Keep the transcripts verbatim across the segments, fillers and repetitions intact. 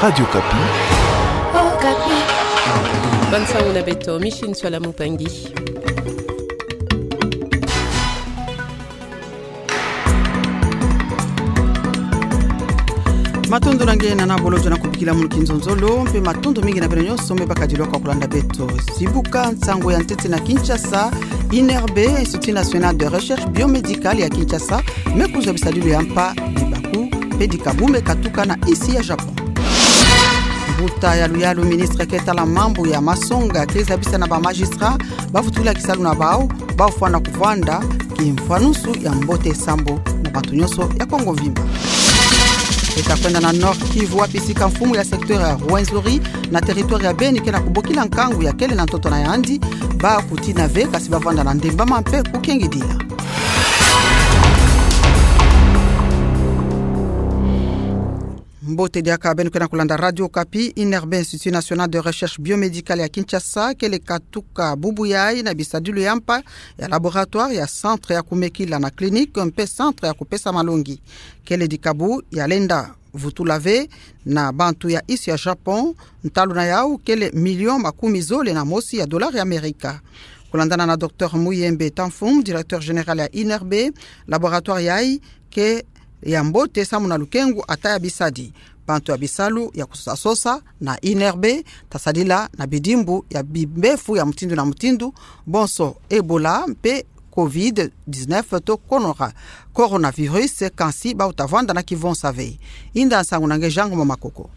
Radio Okapi. Okapi. Bonne soirée na beto, Micheline Soila Mupangi. Matondo na nge na nabolojo na kubikila munu kinzonzolo, mpe matondo mingi na beno nyonso me bakadilwa kwa kulanda beto. Sibuka nsangu ya ntete na Kinshasa. INRB, Institut National de Recherche Biomédicale ya Kinshasa, me kuzwa bisadilu ya mpa, dibaku mpe dikabu me katuka na insi ya Japon. Mbuta ya luyalu, ministre ke tala mambu ya masonga, ke zabisa na ba magistrat bavutula kisalu na bau, bafwana kuvwanda kimfwanusu ya mbote sambu na bantu nyonso ya Kongo mvimba. Eta kwenda na Nord-Kivu, wapi sika mfumu ya secteur ya Rwenzori na territoire ya Beni ke na kubokila nkangu ya kele na ntoto na yandi, bakutina ve, kasi bavwanda na ndembama mpe kukengidila. Mbote diaka beno ke na kulanda Radio Okapi. INRB, Institut National de Recherche Biomédicale ya Kinshasa, kele katuka bubu yai na bisadilu ya mpa ya laboratoire, ya centre ya kumekila na clinique, mpe centre ya kupesa malongi. Kele dikabu ya lenda vutula ve na bantu ya insi ya Japon, ntalu na yau kele million makumi zole na mosi ya dollar ya Amerika. Kulandana na Docteur Muyembe Tamfum, directeur général ya INRB, laboratoire yai ke ya mbote samu na lukengu ata ya bisadi. Bantu ya bisalu ya kusosa sosa na INRB ta sadila na bidimbu ya bimbefu ya mutindu na mutindu, bonso Ebola mpe covid dix-neuf to konora, coronavirus, kansi bau ta vwanda na kivonsa ve. Inda nsangu na nge Jean Ngoma Makoko.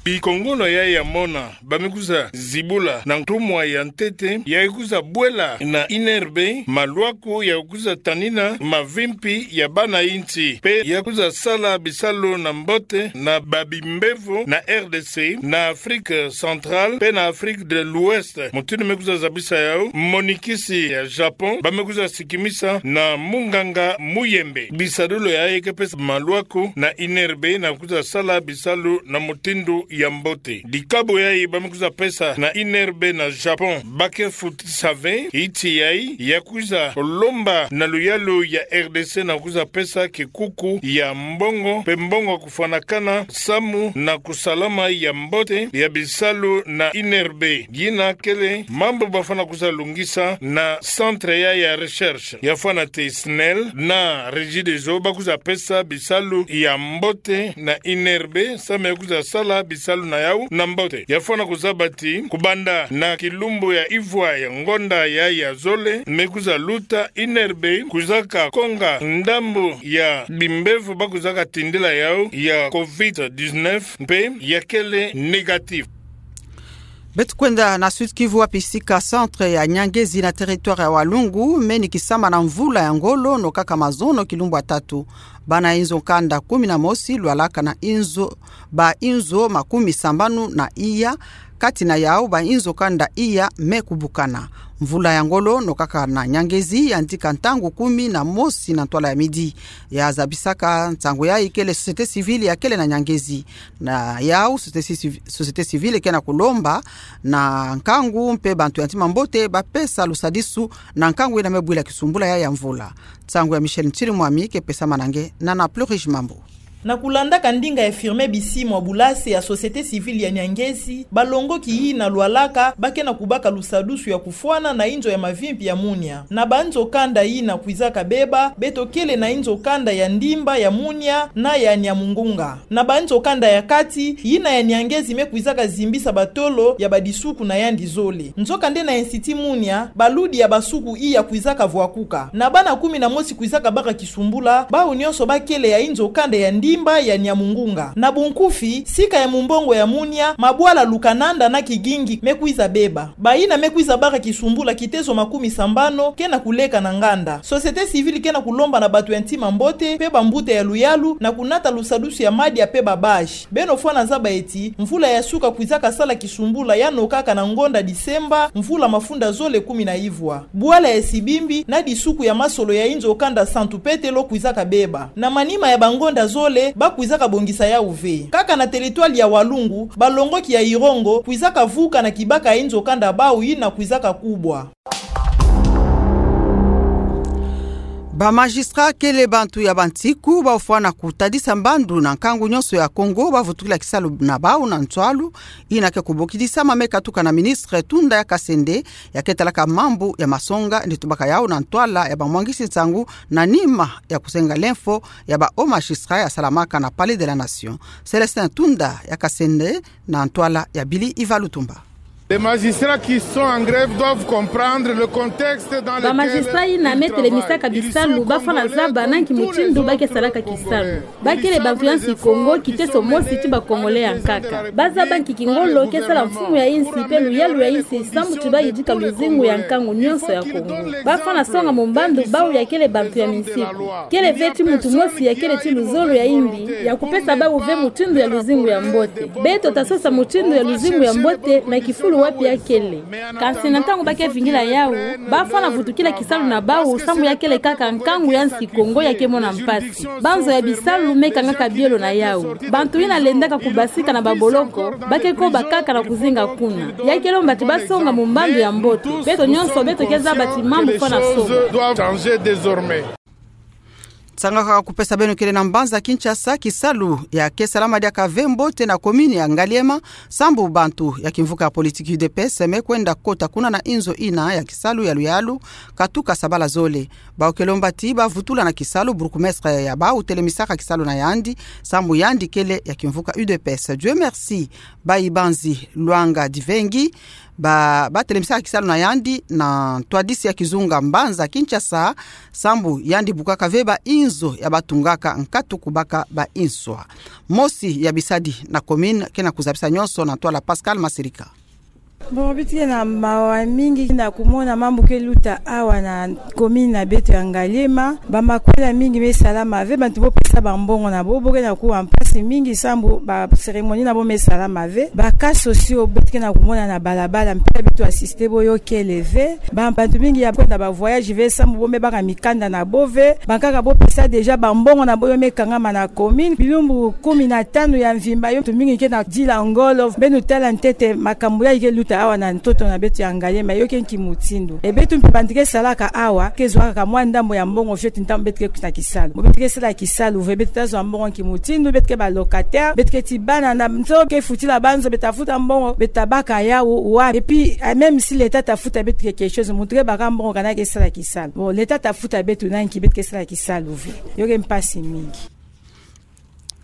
Bikongolo yai ya mona ba me kwiza zibula na ntumwa ya ntete, ya kwiza bwela na INRB malwaku ya kwiza tanina mavimpi ya bana insi, mpe ya kwiza sala bisalu na mbote na babimbevo na R D C, na Afrique centrale, mpe na Afrique de l'Ouest. Mutindu me kwiza zabisa yau, monikisi ya Japon ba me kwiza sikimisa na munganga Muyembe. Bisadulu yai ke pesa malwaku na INRB na kwiza sala bisalu na mutindu ya mbote. Dikabu yai ba me kwiza pesa na INRB na Japon, ba ke futisa ve insi yai ya kwiza lomba na luyalu ya R D C na kwiza pesa kikuku ya mbongo, mpe mbongo kufwanakana samu na kusalama ya mbote ya bisalu na INRB. Yina kele mambu ba fwana kwiza lungisa na centre yai ya recherche. Ya fwana te SNEL na Regideso ba kwiza pesa bisalu ya mbote na INRB, samu ya kwiza sala bisalu na yau na mbote. Ya fwana kuzaba ti kubanda na kilumbu ya ivwa ya ngonda yai ya zole me kwiza luta, INRB kwizaka konga ndambu ya bimbevo ba kwizaka tindila yau ya covid dix-neuf, mpe ya kele négatif. Beto kwenda na Sud-Kivu, wapi sika centre ya Nyangezi na territoire ya Walungu me nikisama na mvula ya ngolo, no kaka mazono kilumbu ya tatu. Bana inzo kanda kumi na mosi lwalaka na inzo, ba inzo makumi sambanu na iya, kati na yau ba inzo kanda iya me kubukana. Mvula ya ngolo no kaka na Nyangezi yandika ntangu kumi na mosi na ntwala ya midi. Ya zabisaka nsangu yai kele société civile ya kele na Nyangezi. Na yau société civ-, société civile ke na kulomba na nkangu mpe bantu ya ntima mbote ba pesa lusadisu na nkangu yina me bwila kisumbula yai ya mvula. Nsangu ya Michel Ntirimwami ke pesama na nge na na Plurish Mambu. Na kulandaka ndinga ya Firmin Bisimwa, bulase ya société civile ya Nyangezi, balongoki yina lwalaka ba ke na kubaka lusadusu ya kufwana na inzo ya mavimpi ya Munia. Na banzo kanda yina kwizaka beba, beto kele na inzo kanda ya Ndimba, ya Munia na ya Niamungunga. Na banzo kanda ya kati, yina ya Nyangezi me kwizaka zimbisa batolo ya badisuku na yandi zole. Nzokande na Institut Munia, baludi ya basuku iya kwizaka vwakuka. Na bana kumi na mosi kwizaka baka kisumbula, bau nyonso ba kele ya inzo kanda ya Ndimba, ya Niamungunga. Na bunkufi, sika ya mumbongo ya Munia, mabwala Lukananda na Kigingi me kwiza beba. Bayina me kwiza baka kisumbula kitezo makumi sambanu ke na kuleka na nganda. Société civile ke na kulomba na bantu ya ntima mbote mpe bambuta ya luyalu na kunata lusadusu ya madia mpe ba bâche. Beno fwana zaba ti mvula ya suka kwizaka sala kisumbula ya nokaka na ngonda Disemba, mvula mafunda zole kumi na ivwa. Bwala ya Sibimbi na disuku ya masolo ya inzo kanda Santu Petelo kwizaka beba. Na manima ya bangonda zole, ba kwizaka bongisa yau ve. Kaka na territoire ya Walungu, balongoki ya Irongo kwizaka vuka na kibaka ya inzo kanda bau yina kwizaka kubwa. Ba magistrat kele bantu ya bansiku bafwana kutadisa mbandu na nkangu nyonso ya Kongo bavutukila kisalu na bau na nswalu, ina ke kubokidisama me katuka na ministre Tunda ya Kasende, ya ke talaka mambu ya masonga, ni tubaka yau na ntwala ya bamwangisi nsangu na nima ya kusenga lemfo ya ba hauts magistrats ya salamaka na Palais de la Nation. Célestin Tunda ya Kasende na ntwala ya Billy Iva Lutumba. Les magistrats qui sont en grève doivent comprendre le contexte dans lequel ils travaillent. Ba magistrat ina me telemisaka bisalu bafwana zaba na nki mutindu ba ke salaka kisalu. Ba kele bantu ya nsi Kongo, kiteso mosi ti ba Congolais ya nkaka. Ba zaba nki kingolo ke sala mfumu ya insi pe luyalu ya insi, sambu ti ba yidika luzingu ya nkangu nyonso ya Kongo. Bafwana songa mu mbandu bau ya kele bantu ya minsiku. Kele ve ti muntu mosi ya kele ti luzolo ya yimbi ya kupesa bau ve mutindu ya luzingu ya mbote. Beto tasosa mutindu ya luzingu ya mbote na kifulu wapi ya kele. Kansi na ntangu ba ke vingila yau, bafwana vutukila kisalu na bau, sambu ya kele kaka nkangu ya nsi Kongo ya ke mona mpasi. Banzo ya bisalu me kangaka bielo na yau. Bantu ina lendaka kubasika na baboloko, ba ke koba kaka na kuzinga kuna. Ya ke lomba ti ba songa mu mbandu ya mbote. Beto nyonso, beto ke zaba ti mambu fwana songa. Doivent changer désormais. Nsanga kwa kupesa beno kele na mbanza Kinshasa, kisalu ya ke salama diaka ve mbote na commune ya Ngaliema, sambu bantu ya kimvuka ya politique U D P S me kwenda kota kuna na inzo ina ya kisalu ya luyalu, katuka sabala zole. Bau ke lomba ti bavutula na kisalu bourgmestre ya bau telemisaka kisalu na yandi, sambu yandi kele ya kimvuka U D P S. Dieu merci, Bayi Banzi Luanga Divengi, ba, batelemisaka kisalu na yandi na ntwadisi ya kizunga mbanza Kinshasa, sambu yandi bukaka ve ba inzo ya batungaka nkatu kubaka ba inswa. Mosi ya bisadi na commune ke na kuzabisa nyonso na ntwala Pascal Masirika. Bon, beto ke na mawa mingi na kumona mambu ke luta awa na commune na beto ya Ngaliema. Ba makwela mingi me salama ve, bantu bo pesa bambongo na bo, bo ke na kuwa mpasi mingi sambu ba cérémonie na bo me salama ve. Ba cas sociaux beto ke na kumona na balabala, mpe beto assister bo yo kele ve. Ba, bantu mingi ya kwenda ba voyage ve sambu bo me baka mikanda na bo ve. Bankaka bo pesa déjà bambongo na bo yo me kangama na commune. Bilumbu kumi na tanu ya mvimba yo, bantu mingi ke na dila ngolo. Beno tala ntete makambu yayi ke luta awa na ntoto na beto ya Ngaliema, yo ke nki mutindu. E beto mpe bantu ke salaka awa, ke zwaka kaka mwa ndambu ya mbongo fioti ntangu beto ke kuta kisalu. Bon, beto ke sala kisalu ve, beto ta zwa mbongo nki mutindu, beto ke ba locataire, beto ke ti bana na nzo ke futila banzo, beto ta futa mbongo, beto ta baka yau wapi? Et puis, ah, même si l'État ta futa beto ke quelque chose, muntu ke baka mbongo kana ke sala kisalu. Bon, l'État ta futa beto na nki, beto ke sala kisalu ve. Yo ke mpasi mingi.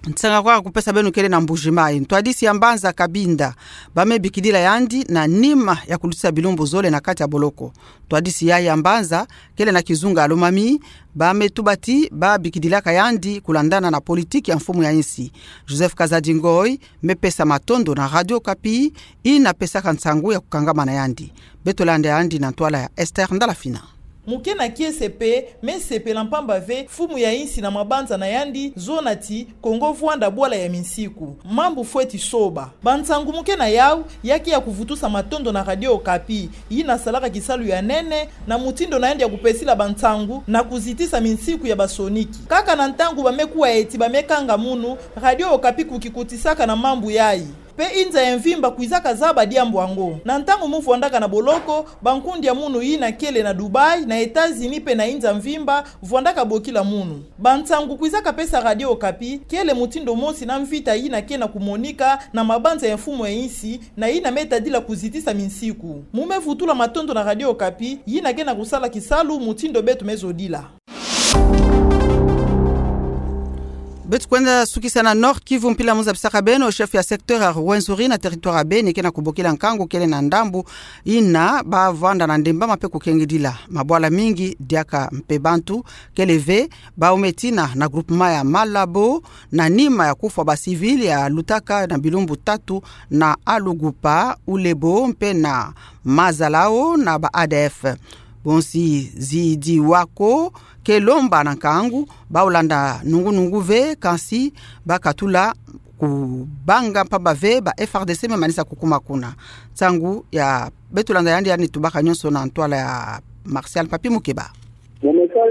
Nsanga kwa kupesa beno kele na Mbuji-Mayi. Ntwadisi ya mbanza Cabinda, ba me bikidila yandi na nima ya kulutisa bilumbu zole na kati ya boloko. Ntwadisi yayi ya mbanza, kele na kizunga Lomami, ba me tuba ti ba bikidilaka yandi kulandana na politique ya mfumu ya insi. Joseph Kazadi Ngoyi me pesa matondo na Radio Okapi, ina pesaka nsangu ya kukangama na yandi. Beto landa yandi na ntwala ya Esther Ndalafina. Muke na kiese mpe me sepela mpamba ve mfumu ya insi na mabanza na yandi zona ti Kongo vwanda bwala ya minsiku. Mambu fweti soba. Bansangu muke na yau, ya ke ya kuvutusa matondo na Radio Okapi, yina salaka kisalu ya nene na mutindu na yandi ya kupesila bansangu na kuzitisa minsiku ya basoniki. Kaka na ntangu ba me kuwa ti ba me kanga munu, Radio Okapi kukikutisaka na mambu yayi. Mpe inza ya mvimba kwizaka zaba diambu yango. Na ntangu mu vwandaka na boloko, bankundi ya munu yina kele na Dubaï, na États-Unis mpe na inza mvimba, vwandaka bokila munu. Bansangu kwizaka pesa Radio Okapi, kele mutindu mosi na mvita yina ke na kumonika na mabanza ya mfumu ya insi, na yina me tadila kuzitisa minsiku. Mu me vutula matondo na Radio Okapi, yina ke na kusala kisalu mutindu beto me zodila. Beto kwenda sukisa na Nord-Kivu, mpila mu zabisaka beno, chef ya secteur ya Rwenzori na territoire ya Beni ke na kubokila nkangu kele na ndambu yina ba vwanda na ndembama mpe kukengidila. Mabwala mingi diaka mpe bantu kele ve, bau me tina na groupement ya Malabo, na nima ya kufwa ba civil ya lutaka na bilumbu tatu na Alugupa, Ulebo mpe na Mazalao na ba A D F. Bonsi zidi wako ke lomba na nkangu, bau landa nungu-nungu ve, kansi ba katula kubanga mpamba ve ba F A R D C me manisa kukuma kuna. Nsangu ya beto landa yandi, yandi tubaka nyonso na ntwala ya Martial Papi Mukeba. Mu message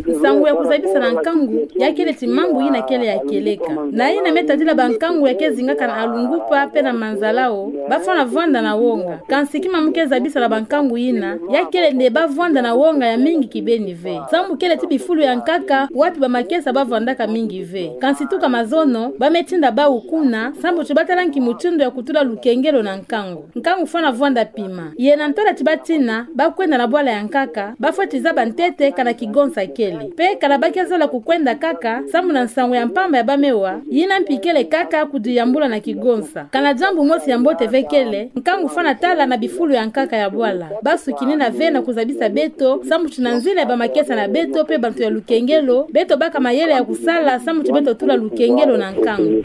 Nsangu ya kuzabisa na nkangu ya kele ti mambu yina kele ya kieleka. Na yina me tadila bankangu ya ke zingaka na Alungupa pe na Manzalao, bafwana vwanda na wonga. Kansi kima mu ke zabisa na bankangu yina, ya kele nde bavwanda na wonga ya mingi kibeni ve. Sambu kele ti bifulu ya nkaka, wapi bamakesa bavwandaka mingi ve. Kansi tuka mazono, ba me tinda bawu kuna, sambu ti batala nki mutindu ya kutula lukengelo na nkangu. Nkangu fwana vwanda pima. Ye na ntwala ti batina, bakwenda na bwala ya nkaka, bafweti zaba ntete kana kigonsa kele. Pe kana ba ke zola kukwenda kaka, sambu na nsangu ya mpamba ya ba me wa, yina mpi kele kaka kudiyambula na kigonsa. Kana diambu mosi ya mbote ve kele, nkangu fwana tala na bifulu ya nkaka ya bwala. Basukinina ve na kuzabisa beto, sambu ti na nzila ya bamakesa na beto pe bantu ya lukengelo, beto baka mayele ya kusala, sambu ti beto tula lukengelo na nkangu.